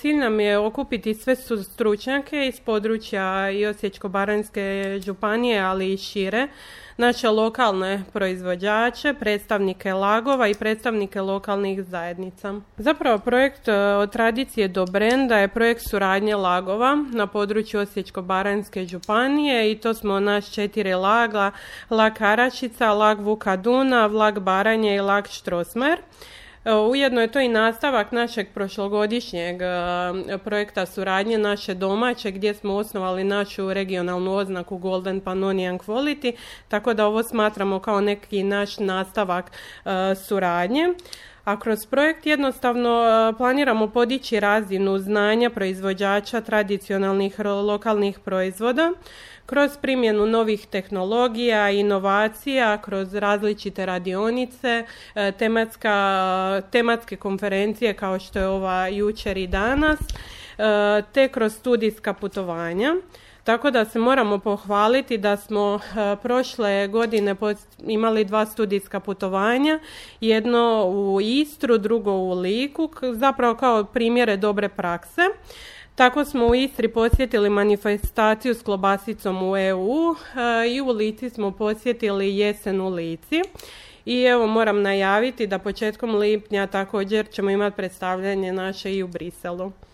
Cilj nam je okupiti sve stručnjake iz područja i Osječko-baranjske županije, ali i šire, naše lokalne proizvođače, predstavnike lagova i predstavnike lokalnih zajednica. Zapravo projekt Od tradicije do brenda je projekt suradnje lagova na području Osječko-baranjske županije i to smo naš 4 laga, lag Karačica, lag Vuka Dunav, lag Baranje i lag Štrosmajer. Ujedno je to i nastavak našeg prošlogodišnjeg projekta suradnje naše domaće gdje smo osnovali našu regionalnu oznaku Golden Pannonian Quality, tako da ovo smatramo kao neki naš nastavak suradnje. A kroz projekt jednostavno planiramo podići razinu znanja proizvođača tradicionalnih lokalnih proizvoda kroz primjenu novih tehnologija, inovacija, kroz različite radionice, tematske konferencije kao što je ova jučer i danas, te kroz studijska putovanja. Tako da se moramo pohvaliti da smo prošle godine imali 2 studijska putovanja, jedno u Istru, drugo u Liku, zapravo kao primjere dobre prakse. Tako smo u Istri posjetili manifestaciju s klobasicom u EU i u Lici smo posjetili jesen u Lici. I evo moram najaviti da početkom lipnja također ćemo imati predstavljanje naše i u Briselu.